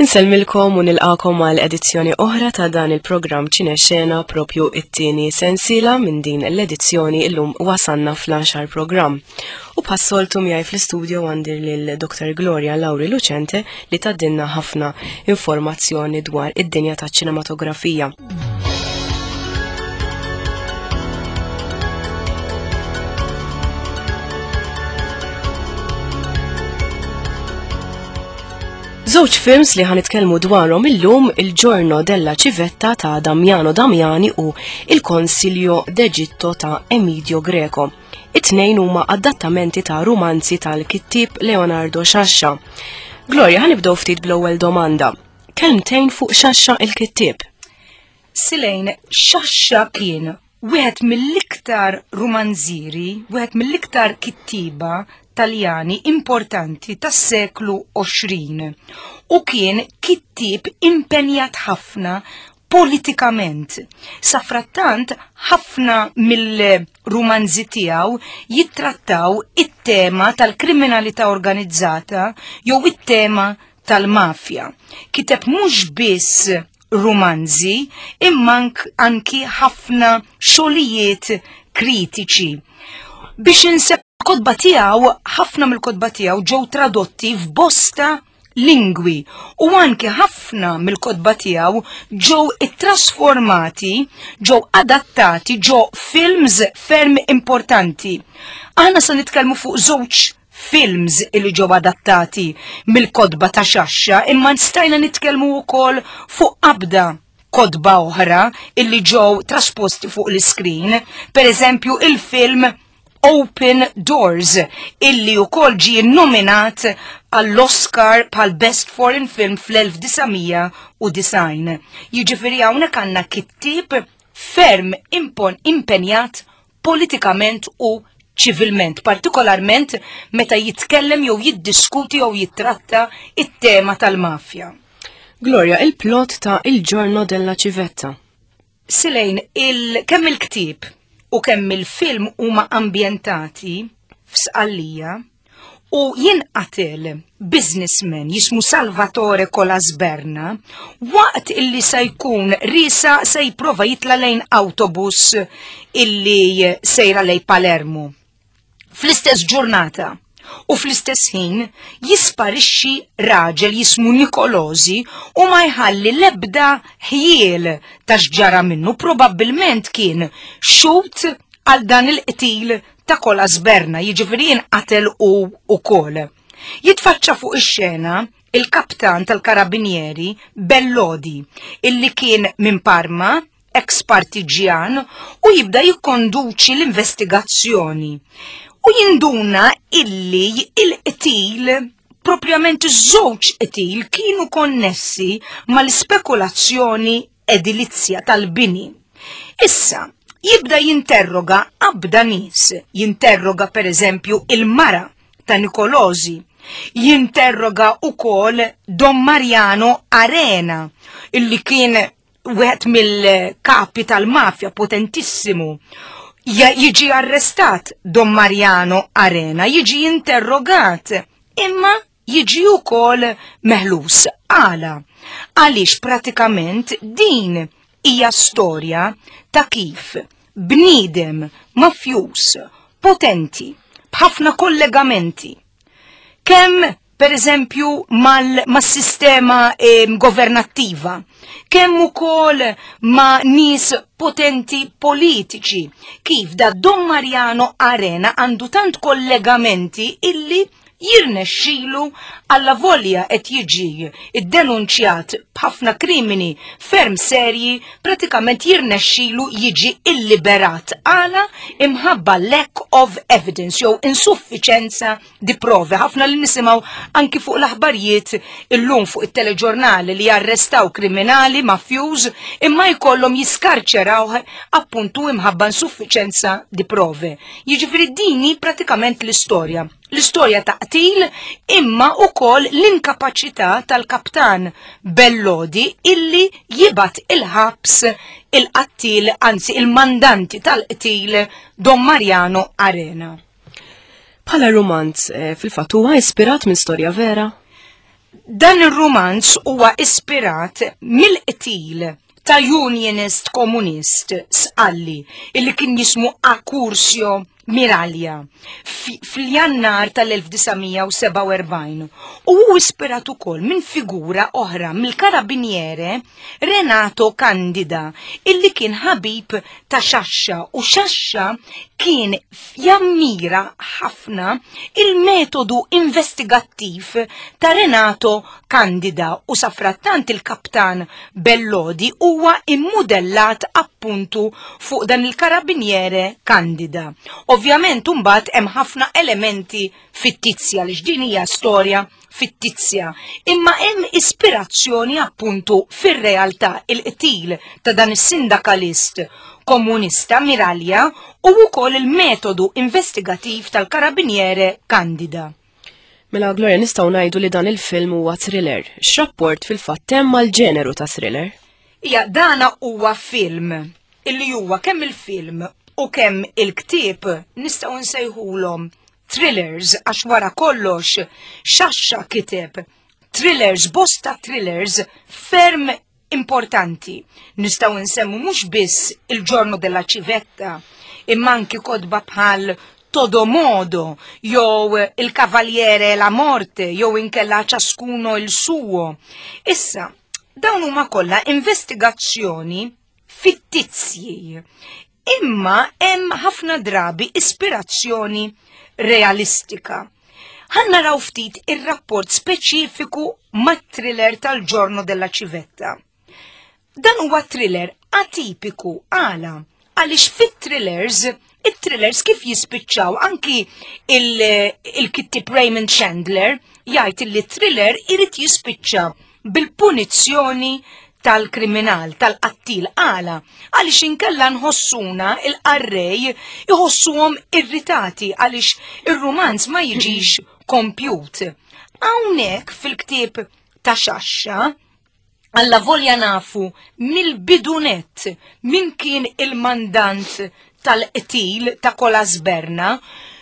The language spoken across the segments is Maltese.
Insellmilkom u nilqakom għal edizzjoni oħra ta' dan il-programm Ċinexxena propju it-tieni sensiela minn din l-edizzjoni illum wasanna fl-10 programm. U bħas-soltu miegħi fl-istudio għandi lil Dr. Gloria Lauri Lucente li tgħaddilna ħafna informazzjoni dwar id-dinja taċ-ċinematografija. Żewġ films li ħanitkellmu dwarhom illum Il-Giorno della Civetta ta' Damiano Damiani u Il Consiglio d'Egitto ta' Emidio Greco. It-tnejn huma adattamenti ta' rumanzi tal-kittieb Leonardo Sciascia. Gloria, ħanibdew ftit bl-ewwel domanda. Kelmtejn fuq Sciascia il-kittieb. Silejn, Sciascia kien wieħed mill-iktar rumanzieri, wieħed mill-iktar kittiba Taljani importanti tas-seklu 20 u kien kittieb impenjat ħafna politikament. Safrattant ħafna mill-rumanzi tiegħu jittrattaw it-tema tal-kriminalità organizzata jew it-tema tal-mafja. Kiteb mhux biss rumanzi imma anki ħafna xogħlijiet kritiċi. Biex inse kotba tiegħu, ħafna mill-kotba tiegħu ġew tradotti f'bosta lingwi u anki ħafna mill-kotba tiegħu ġew ittrasformati, ġew adattati ġo films ferm importanti. Aħna se nitkellmu fuq żewġ films li ġew adattati mill-kotba ta' Xaxxa, imma stajna nitkellmu wkoll fuq qabda kotba oħra illi ġew trasposti fuq l-iskrin, per eżempju il-film Open Doors illi wkoll ġie nominat għall-Oscar bħal Best Foreign Film fl-1990. Jiġifieri hawnhekk għandna kittieb ferm impon impenjat politikament u ċivilment, partikolarment meta jitkellem jew jiddiskuti jew jittratta it-tema tal-mafja. Gloria, il-plot ta' Il Giorno della Civetta. Silejn, il kemm il-ktieb u kemm il-film huma ambjentati f'Sqallija u jinqatel businessman jismu Salvatore Colasberna waqt illi se jkun risa se jipprova jitla lejn autobus illi sejra lejn Palermo. Fl-istess ġurnata u fl-istess ħin jisparixxi raġel jismu Nikolosi u ma jħalli l-ebda ħjiel ta' x'ġara minnu probabbilment kien xut għal dan il-qtil ta' Colasberna, jiġifieri jinqatel hu wkoll. Jitfaċċa fuq ix-xena il-kaptan tal-Karabinieri Bellodi, illi kien minn Parma, ex partiġjan, u jibda jikkonduċi l-investigazzjoni. U jinduna illi il-qtil, propjament iż-żewġ qtil, kienu konnessi mal-ispekulazzjoni edilizja tal-bini. Issa, jibda jinterroga abda nies, jinterroga per eżempju il-mara ta' Nikolosi, jinterroga ukoll Don Mariano Arena, illi kien wieħed mill-kapi tal-mafja potentissimu. Jiġi arrestat Don Mariano Arena, jiġi interrogat, imma jiġi wkoll meħlus. Għala? Għaliex pratikament din hija storja ta' kif bniedem mafjuż potenti b'ħafna kollegamenti kemm per eżempju mas-sistema eh, governattiva, kemm ukoll ma' nies potenti politiċi, kif da Don Mariano Arena għandu tant kollegamenti illi jirnexxilu allavolja qed jiġi ddenunċjat b'ħafna krimini ferm serji pratikament jirnexxilu jiġi illiberat għala imħabba lack of evidence jew insuffiċenza di prove. Ħafna li nisimgħu anki fuq l-aħbarijiet illum fuq it-teleġurnali li jarrestaw kriminali mafjuż imma jkollhom jiskarċerawh appuntu imħabba insuffiċenza di prove. Jiġifieri din hi pratikament l-istorja. L-istorja ta' qtil imma ukoll l-inkapaċità tal-kaptan Bellodi illi jibgħat il-ħabs il-qattil, anzi il-mandanti tal-qtil Don Mariano Arena. Bħala rumanz, eh, fil-fatt huwa ispirat minn storja vera? Dan ir-rumanz huwa ispirat mill-qtil ta' unionist komunist Sqalli illi kien jismu Accursio Miraglia fl-Jannar tal-1947 u hu ispirat ukoll minn figura oħra mill-karabiniere Renato Candida illi kien ħabib ta' Sciascia u Sciascia kien jammira ħafna il-metodu investigattiv ta' Renato Candida u safrattant il-kaptan Bellodi huwa immudellat appuntu fuq dan il-karabiniere Candida. Ovvjament imbagħad hemm ħafna elementi fittizja li din hija storja fittizja, imma hemm ispirazzjoni appuntu fir-realtà il-qtil ta' dan is-sindakalist komunista Miraglia u wkoll il-metodu investigativ tal-karabiniere Candida. Mela Gloria nistgħu ngħidu li dan il-film huwa thriller. X'rapport fil-fatt hemm mal-ġeneru ta' thriller? Ija, dana huwa film illi huwa kemm il-film u kemm il-ktieb nistgħu nsejħulhom thrillers għax wara kollox Sciascia kiteb thrillers, bosta thrillers ferm importanti. Nistgħu nsemmu mhux biss Il Giorno della Civetta, imma anki kotba bħal Todo Modo, jew Il Cavaliere e la Morte, jew inkella Ciascuno il Suo. Issa, dawn huma kollha investigazzjoni fittizji. Imma hemm ħafna drabi ispirazzjoni realistika. Ħa naraw ftit ir-rapport speċifiku mat-thriller tal-Giorno della Civetta. Dan huwa thriller atipiku għala għaliex fit-thrillers, it-thrillers kif jispiċċaw anki il-kittib Raymond Chandler jgħid li thriller irid jispiċċa bil-punizzjoni tal-kriminal, tal-qattil għala, għaliex inkella nħossuna il-qarrej iħossuhom irritati għaliex ir-rumanz ma jiġix kompjut. Hawnhekk fil-ktieb ta' Sciascia, alla volja nafu mill-bidunet min kien il-mandant tal-qtil ta' Colasberna,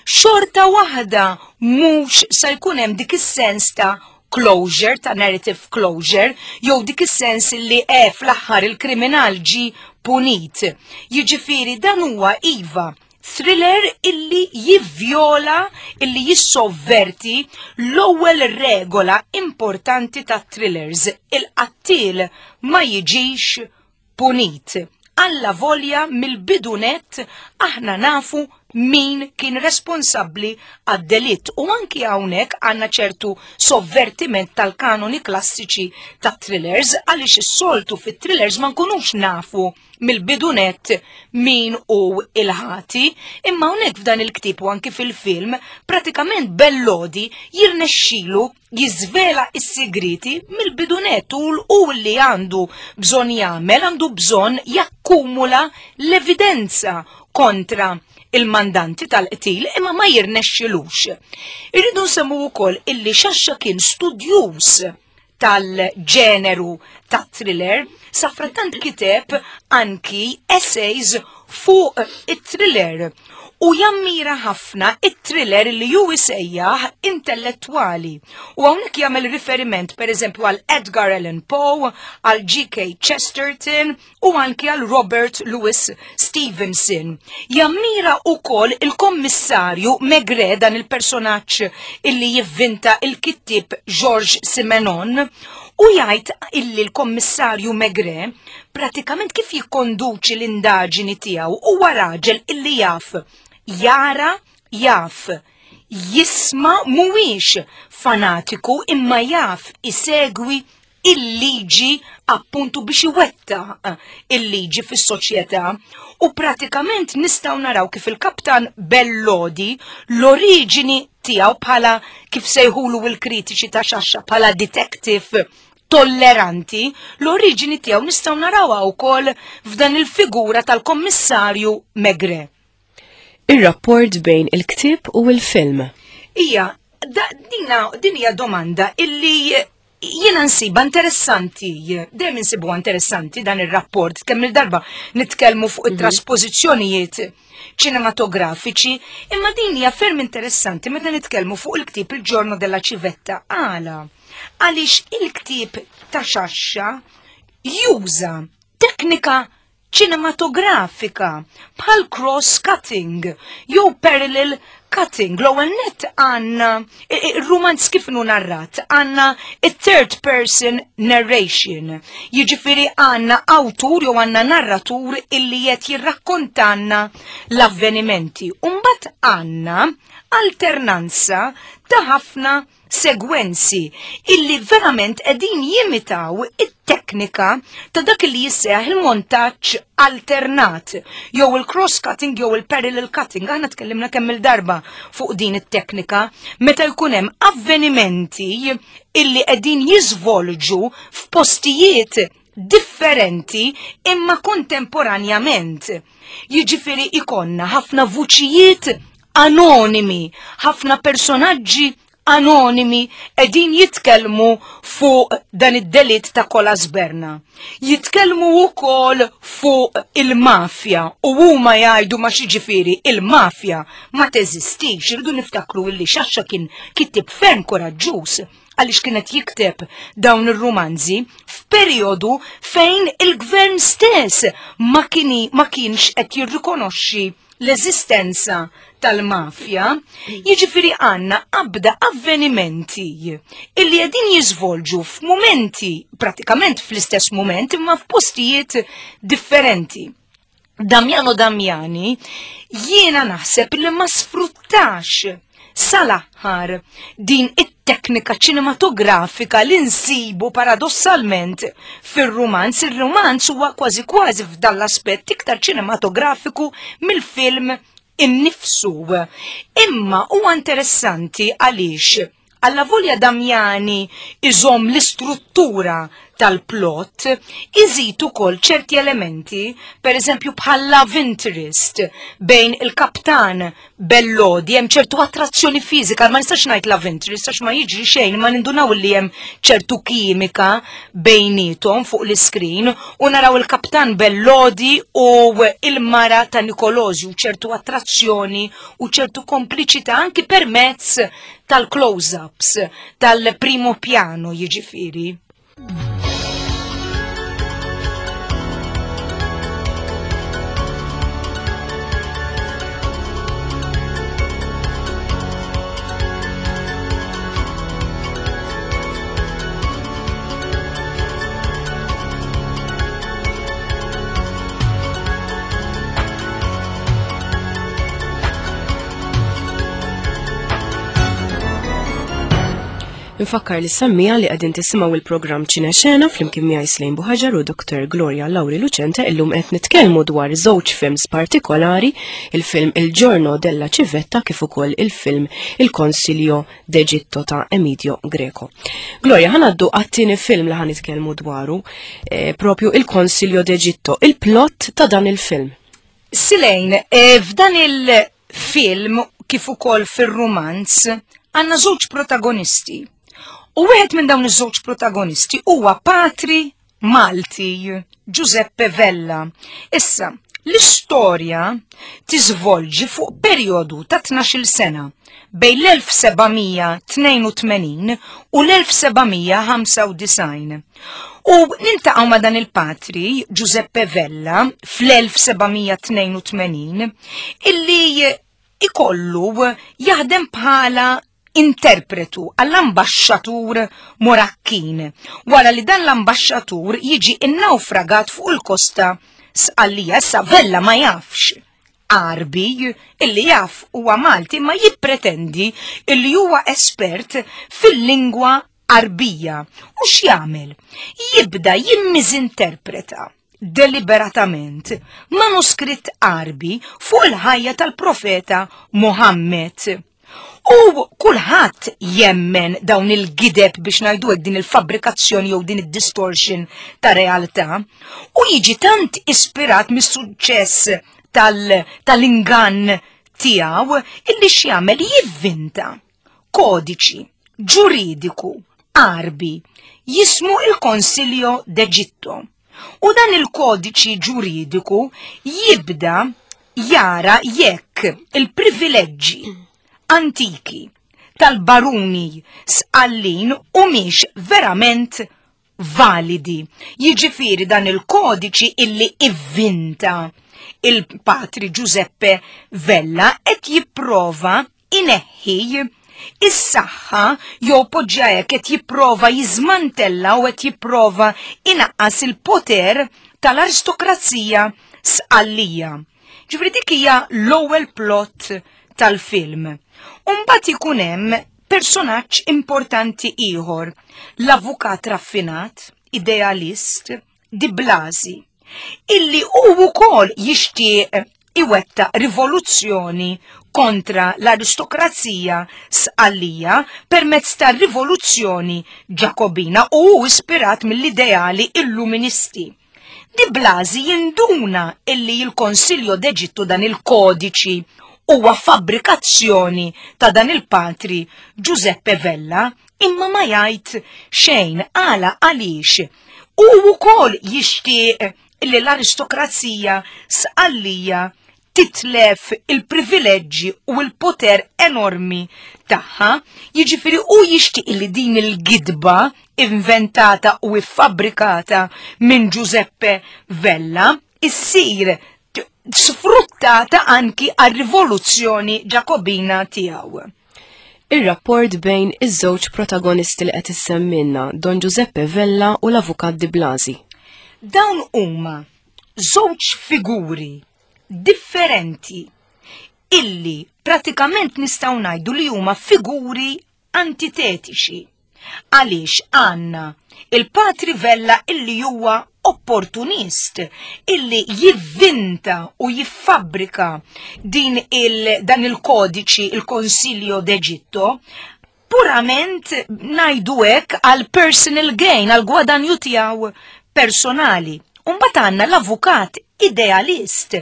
xorta waħda mhux se jkun hemm dik is-sens ta' closure, ta' narrative closure, jew dik is-sens li e fl-aħħar il-kriminal ġi punit. Jiġifieri dan huwa iva thriller illi jivvjola, illi jissovverti l-ewwel regola importanti ta' thrillers. Il-qattil ma jiġix punit. Alla volja mill-bidunet aħna nafu min kien responsabbli għad-delitt u anki hawnhekk għandna ċertu sovvertiment tal-kanoni klassiċi ta' thrillers għaliex is-soltu fit-thrillers ma nkunux nafu mill-bidunet min hu il-ħati, imma hawnhekk f'dan il-ktieb u anki fil-film pratikament Bellodi jirnexxilu jiżvela s-sigriti mill-bidunet u li għandu bżonn jagħmel, għandu bżonn jakkumula l-evidenza kontra il-mandanti tal-qtil imma ma jirnexxilux. Irridu nsemmu wkoll illi Sciascia kien studjuż tal-ġeneru ta' thriller, safrattant kiteb anki essays fuq it-thriller u jammira ħafna it-thriller li ju isejjaħ intellettwali. U hawnhekk jagħmel riferiment pereżempju għal Edgar Allan Poe, għal G.K. Chesterton u anki għal Robert Louis Stevenson. Jammira ukoll il-kommissarju Maigret, dan il-personaġġ illi jivvinta il-kittieb Georges Simenon, u jgħid illi l-kommissarju Maigret pratikament kif jikkonduċi l-indaġini tiegħu huwa raġel illi jaf jara, jaf jisma', mhuwiex fanatiku imma jaf isegwi il-liġi appuntu biex iwettaq il-liġi fis-soċjetà u pratikament nistgħu naraw kif il-kaptan Bellodi l-oriġini tiegħu bħala kif sejħulu l-kritiċi ta' Sciascia bħala detective tolleranti, l-oriġini tiegħu nistgħu narawha wkoll f'dan il-figura tal-Kommissarju Maigret. Ir-rapport bejn il-ktieb u l-film. Ija, dina, din hija domanda illi Jiena nsiba interessanti, dejjem insibu interessanti dan ir-rapport, kemm il-darba nitkellmu fuq it-traspożizzjonijiet ċinematografiċi, imma din hija ferm interessanti meta nitkellmu fuq il-ktieb Il Giorno della Civetta. Għala? Għaliex il-ktieb ta' Xaxxa juża teknika ċinematografika bħal cross cutting jew parallel cutting. L-ewwel nett għandna ir-rumanz kif inhu narrat, għandna it-third person narration. Jiġifieri għandna awtur jew għandna narratur illi qed jirrakkontanna l-avvenimenti. U mbagħad għandna alternanza ta' ħafna segwenzi illi verament qegħdin jimitaw it-teknika ta' dak li jisseħ il-montaġġ alternat jew il-cross cutting jew il-parallel cutting. Aħna tkellimna kemm il-darba fuq din it-teknika meta jkun hemm avvenimenti illi qegħdin jiżvolġu f'postijiet differenti imma kontemporanjament. Jiġifieri ikonna ħafna vuċijiet anonimi, ħafna personaġġi anonimi qegħdin jitkellmu fuq dan id-delitt ta' Kolasberna. Jitkellmu wkoll fuq il-mafja u huma jgħidu ma xiġifieri il-mafja ma teżistix. Irridu niftakru illi Xaxxa kien kittieb ferm koraġġuż għaliex kienet jikteb dawn ir-rumanzi f'perjodu fejn il-gvern stess ma, kini, ma kienx qed jirrikonoxxi l-eżistenza tal-mafja, jiġifieri għandna qabda avvenimenti illi qegħdin jiżvolġu f'mumenti, pratikament fl-istess mument, imma f'postijiet differenti. Damiano Damiani jiena naħseb li ma sfruttax sal-aħħar din it-teknika ċinematografika li nsibu paradossalment fir-rumanz. Ir-rumanz huwa kważi kważi f'dan l-aspett iktar ċinematografiku mill-film innifsu. Imma huwa interessanti għaliex Allavolja Damiani iżomm l-istruttura tal-plot, iżid ukoll ċerti elementi, per eżempju bħal love interest bejn il-kaptan Bellodi, hemm ċertu attrazzjoni fiżika, ma nistax ngħid love interest għax ma jiġri xejn, ma nindunaw li hemm ċertu kimika bejnietom fuq l-iskrin u naraw il-kaptan Bellodi u il-mara ta' Nikolosju ċertu attrazzjoni u ċertu kompliċità anki permezz tal-close-ups, tal-primo piano jiġifieri. Nfakkar li semmija li qegħdin tisimgħu il-programm Ċine Xena flimkien miegħi Slejn Buħaġar u Dr. Gloria Lauri Lucente illum qed nitkellmu dwar żewġ films partikolari, il-film Il Giorno della Civetta kif ukoll il-film Il Consiglio d'Egitto ta' Emidio Greco. Gloria, ħanaddu għat-tieni film li ħanitkellmu dwaru, eh, propju Il Consiglio d'Egitto, il-plot ta' dan il-film. Silejn, eh, f'dan il-film kif ukoll fir-rumanz għandna żewġ protagonisti. U wieħed minn dawn iż-żewġ protagonisti huwa patri Malti, Giuseppe Vella. Issa, l-istorja tiżvolġi fuq perjodu ta' 12-il sena bejn l-1782 u l-1795. U niltaqgħu ma' dan il-patri, Giuseppe Vella, fl-1782, illi ikollu jaħdem bħala interpretu għall-ambaxxatur Morakkin, wara li dan l-ambaxxatur jiġi innawfragat fuq il-kosta Sqallija. Issa Vella ma jafx Għarbi, illi jaf huwa Malti ma jippretendi illi huwa espert fil-lingwa Għarbija. U x'jagħmel? Jibda jimmiżinterpreta deliberatament manuskritt Għarbi fuq il-ħajja tal-profeta Muhammad. U kulħadd jemmen dawn il-gideb biex ngħidu hekk din il-fabbrikazzjoni jew din id-distortion ta' realtà u jiġi tant ispirat mis-suċċess tal-ingann tiegħu illi x'jagħmel jivvinta kodiċi ġuridiku. Għarbi jismu il-Consiglio d'Egitto. U dan il-kodiċi ġuridiku jibda jara jekk il-privileġġi antiki tal-baruni Sqallin humiex verament validi. Jiġifieri dan il-kodiċi illi ivvinta il-Patri Giuseppe Vella qed jipprova ineħħi is-saħħa jew poġġa hekk qed jipprova jiżmantella u qed jipprova inaqqas il-poter tal-aristokrazija Sqallija. Ġifieri dik hija l-ewwel plot tal-film. Umbagħad ikun hemm personaġġ importanti ieħor, l-avukat raffinat, idealist, Di Blasi, illi hu wkoll jixtieq iwettaq rivoluzzjoni kontra l-aristokrazija Sqallija permezz ta' rivoluzzjoni Ġakobina u hu ispirat mill-ideali illuministi. Di Blasi jinduna illi l-Consiglio d'Egitto dan il-kodiċi huwa fabbrikazzjoni ta' dan il-patri Giuseppe Vella imma ma jgħid xejn għala għaliex hu wkoll jixtieq li l-aristokrazija Sqallija titlef il-privileġġi u l-poter enormi tagħha, jiġifieri hu jixtieq li din il-gidba inventata u iffabbrikata minn Giuseppe Vella issir sfruttata anki għar-rivoluzzjoni Ġakobina tiegħu. Ir-rapport bejn iż-żewġ protagonisti li qed issemmilna, Don Giuseppe Vella u l-Avukat Di Blasi. Dawn huma żewġ figuri differenti illi pratikament nistgħu ngħidu li huma figuri antitetiċi. Għaliex għandna il-Patri Vella illi huwa opportunist illi jivvinta u jiffabbrika din il, dan il-kodiċi, il-Consiglio d'Egitto, purament ngħidu hekk għal personal gain, għal gwadanju tiegħu personali. Umbagħad għandna l-avukat idealist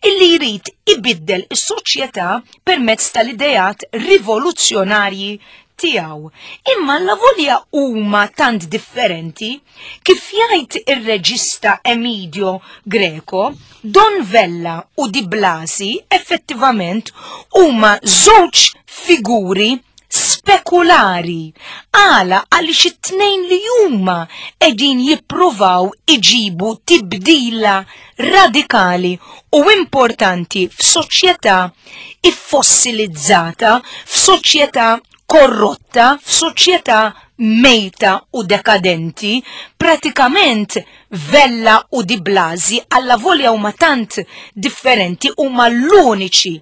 illi jrid ibiddel is-soċjetà permezz tal-ideat rivoluzzjonarji tiegħu. Imma l-avolja huma tant differenti, kif jgħid ir-reġista Emidio Greco, Don Vella u Di Blasi effettivament huma żewġ figuri spekulari. Għala għaliex it-tnejn li huma qegħdin jippruvaw iġibu tibdila radikali u importanti f'soċjetà iffossilizzata, f'soċjetà korrotta, f'soċjetà mejta u dekadenti, pratikament Vella u Di Blasi allavolja huma tant differenti huma l-uniċi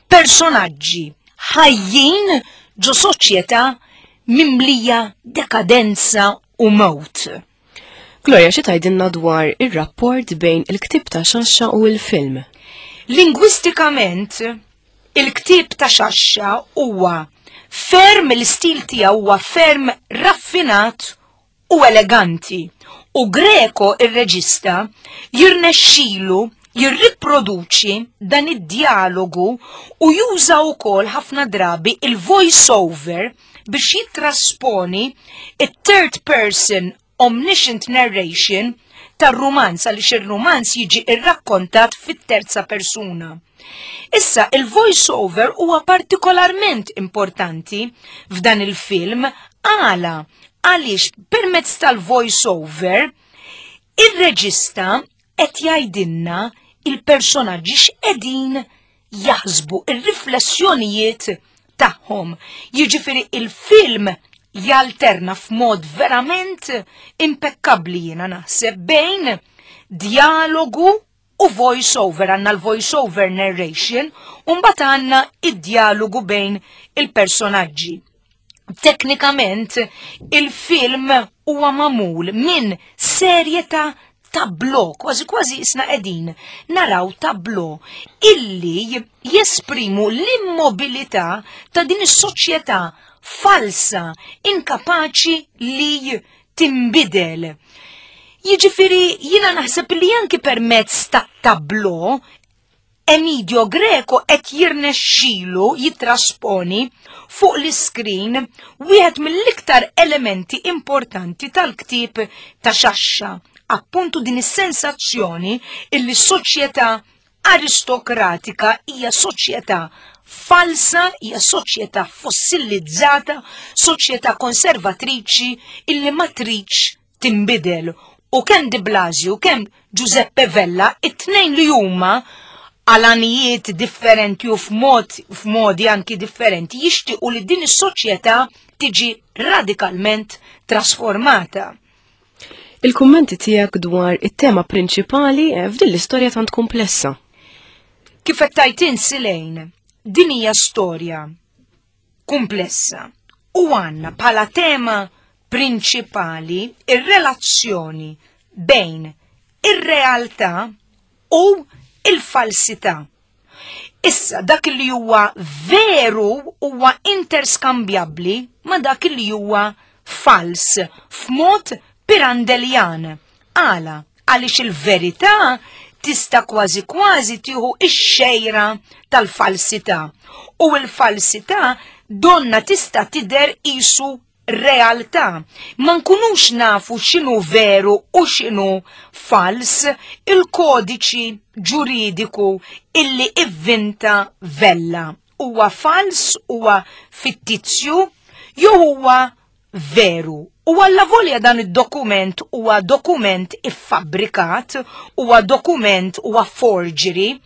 personaġġi ħajjin ġo soċjetà mimlija dekadenza u mewt. Gloria, xi tgħidilna dwar ir-rapport bejn il-ktieb ta' Xaxxa u l-film? Lingwistikament, il-ktieb ta' Xaxxa huwa ferm l-istil tiegħu huwa ferm raffinat u eleganti u Greco ir-reġista jirnexxilu jirriproduċi dan id-djalogu u juża wkoll ħafna drabi il-voice over biex jittrasponi it-third person omniscient narration tar-rumanz għaliex ir-rumanz jiġi irrakkontat fit-terza persuna. Issa, il-voice over huwa partikolarment importanti f'dan il-film għala għaliex permezz tal-voice over ir-reġista qed jgħidilna il-personaġġi x'qegħdin jaħsbu ir-riflessjonijiet tagħhom. Jiġifieri il-film jalterna f'mod verament impeccabli jiena naħseb bejn dialogu u voice over, għandna l-voice over narration, u mbagħad għandna id-dialogu bejn il-personaġġi. Teknikament, il-film huwa magħmul minn serje ta' tablo, kważi kważi isna qegħdin naraw tablo illi jesprimu l-immobilità ta' din is-soċjetà falsa, inkapaċi li tinbidel. Jiġifieri jiena naħseb li anki permezz ta' tablo. Emidio Greco qed jirnexxilu jittrasponi fuq l-iskrin wieħed mill-iktar elementi importanti tal-ktieb ta' Xaxxa, appuntu din is-sensazzjoni illi s-soċjetà aristokratika hija soċjetà falsa, hija soċjetà fossilizzata, soċjetà konservatriċi illi ma tridx tinbidel u kemm Di Blasio kemm Giuseppe Vella it-tnejn li huma għal għanijiet differenti u f'mod f'modi anki differenti jixtiequ li din is-soċjetà tiġi radikalment trasformata. Il-kummenti tiegħek dwar it-tema prinċipali eh, f'din l-istorja tant komplessa. Kif qed tajt insilejn, din hija storja kumplessa u għandna bħala tema prinċipali ir-relazzjoni bejn ir-realtà u il-falsità. Issa dak li huwa veru huwa interskambjabbli ma dak li huwa fals f'mod pirandeljan. Għala, għaliex il-verità tista' kważi kważi tieħu ix-xejra tal-falsità u l-falsità donna tista' tidher qisu realtà. Ma nkunux nafu x'inhu veru u x'inhu fals il-kodiċi ġuridiku illi ivvinta Vella. Huwa fals, huwa fittizju jew huwa veru. U allavolja dan id-dokument huwa dokument iffabbrikat, huwa dokument huwa forgery,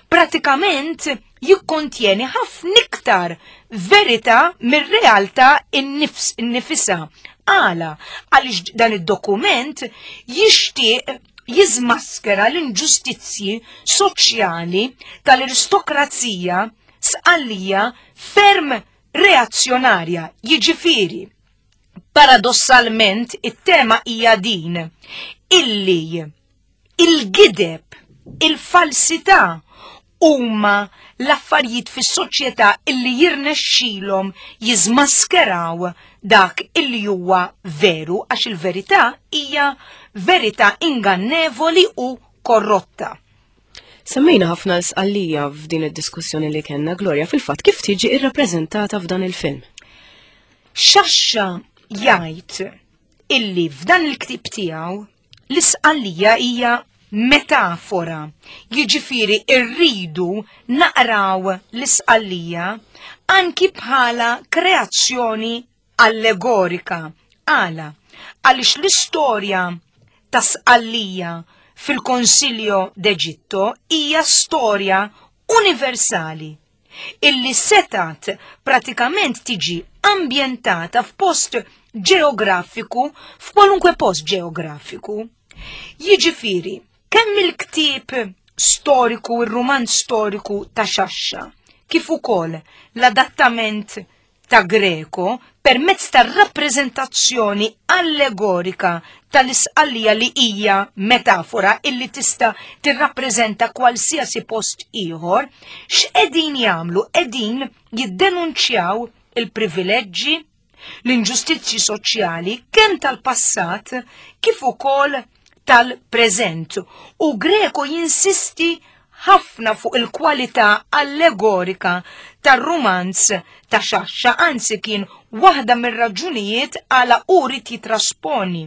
pratikament jikkontjeni ħafna iktar verità mir-realtà innifisha. Għala, għaliex dan id-dokument jixtieq jiżmaskera l-inġustizzji soċjali tal-aristokrazija Sqallija ferm reazzjonarja, jiġifieri paradossalment it-tema hija din illi il-gideb, il-falsità huma l-affarijiet fis-soċjetà illi jirnexxilhom jiżmaskeraw dak illi huwa veru għax il-verità hija verità ingannevoli u korrotta. Semmejna ħafna l-Sqallija f'din id-diskussjoni li kellna Gloria fil-fatt kif tiġi irrappreżentata f'dan il-film. Xaxxa jgħid illi f'dan il-ktieb tiegħu l-Isqallija hija metafora. Jiġifieri rridu naqraw l-Isqallija anki bħala kreazzjoni allegorika. Għala? Għaliex l-istorja ta' Sqallija fil-Consiglio d'Egitto hija storja universali illi setat pratikament tiġi ambjentata f'post ġeografiku, f'kwalunkwe post ġeografiku. Jiġifieri, kemm il-ktieb storiku, ir-rumanz storiku ta' Xaxxa, kif ukoll l-adattament ta' Greco permezz tar-rappreżentazzjoni allegorika tal-Isqallija li hija metafora illi tista' tirrappreżenta kwalsiasi post ieħor, x'qegħdin jagħmlu? Qegħdin jiddenunċjaw il-privileġġi, l-inġustizzji soċjali kemm tal-passat kif ukoll tal-preżent u Greco jinsisti ħafna fuq il-kwalità allegorika tar-rumanz ta' Xaxxa, anzi kien waħda mir-raġunijiet għala hu ried jitrasponi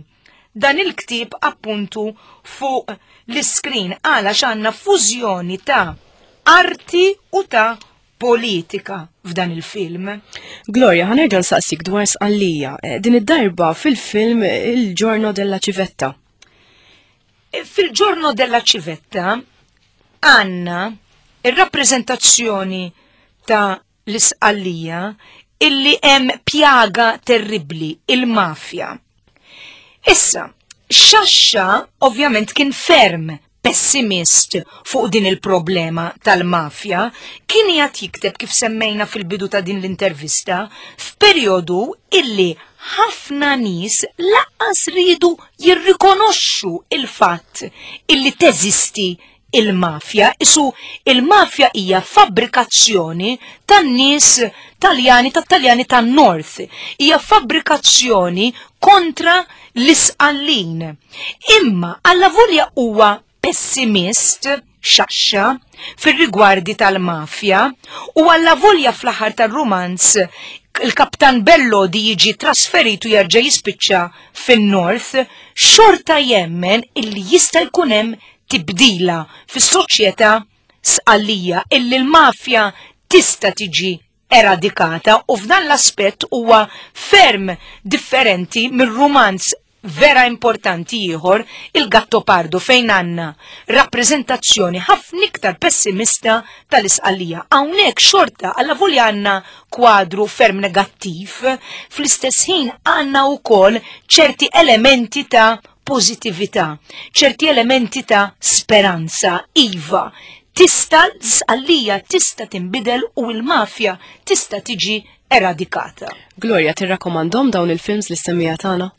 dan il-ktieb appuntu fuq l-iskrin għala x'għandna fużjoni ta' arti u ta' politika f'dan il-film. Gloria, ħanerġa' nsaqsik dwar Sqallija, eh, din id-darba fil-film Il Giorno della Civetta. Eh, fil-Giorno della Civetta għanna ir-rappreżentazzjoni ta' l-Isqallija illi hemm pjaga terribbli, il-mafja. Issa, Xaxxa ovvjament kien ferm pessimist fuq din il-problema tal-mafja, kien qiegħed jikteb kif semmejna fil-bidu ta' din l-intervista f'perjodu illi ħafna nies laqqas riedu jirrikonoxxu il-fatt illi teżisti il-mafja, isu il-mafja hija fabbrikazzjoni tan-nies Taljani tat-Taljani tan-North, hija fabbrikazzjoni kontra l-Isqallin. Imma allavolja huwa pessimist, Sciascia fir-rigwardi tal-mafja u allavolja fl-aħħar tar-rumanz il-Kaptan Bellodi jiġi trasferit u jerġa' jispiċċa fin-North, xorta jemmen illi jista' jkun hemm tibdila fis-soċjetà Sqallija illi l-mafja tista' tiġi eradikata u f'dan l-aspett huwa ferm differenti mir-rumanz vera importanti ieħor il-Gattopardo fejn għandna rappreżentazzjoni ħafna iktar pessimista tal-Isqallija. Hawnhekk xorta allavolja għandna kwadru ferm negattiv, fl-istess ħin għandna wkoll ċerti elementi ta' pożittività, ċerti elementi ta' speranza, iva, tista' l-Sqallija tista' tinbidel u l-mafja tista' tiġi eradikata. Gloria, tirrakkomandhom dawn il-films lis-semmiegħa tagħna?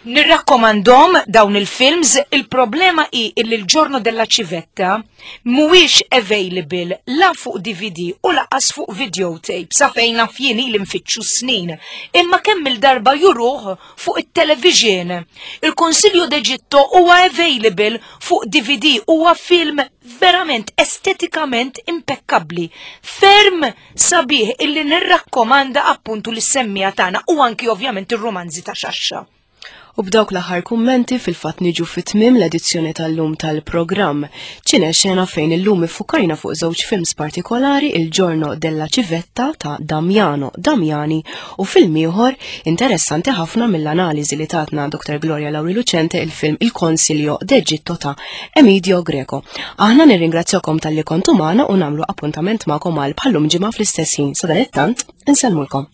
Nirrakkomandhom dawn il-films, il-problema hi illi l-Giorno della Civetta mhuwiex available la fuq DVD u laqas fuq videotape sa fejn naf jien ili nfittxu snin, imma kemm il-darba juruh fuq it-television. Il-Consiglio d'Egitto huwa available fuq DVD, huwa film verament estetikament impekkabbli, ferm sabiħ illi nirrakkomanda appuntu lis-semmiegħa tagħna u anki ovvjament ir-rumanzi ta' Xaxxa. U b'dawk l-aħħar kummenti fil-fatt niġu fi tmiem l-edizzjoni tal-lum tal-programm. Ċine xena fejn illum iffukajna fuq żewġ films partikolari Il Giorno della Civetta ta' Damiano Damiani u film ieħor interessanti ħafna mill-analiżi li tatna Dr. Gloria Lauri Lucente il-film Il Consiglio d'Egitto ta' Emidio Greco. Aħna nirringrazzjakom talli kontu magħna u nagħmlu appuntament magħkom għal bħallum ġimgħa fl-istess ħin. Sadanittant, insellmulkom.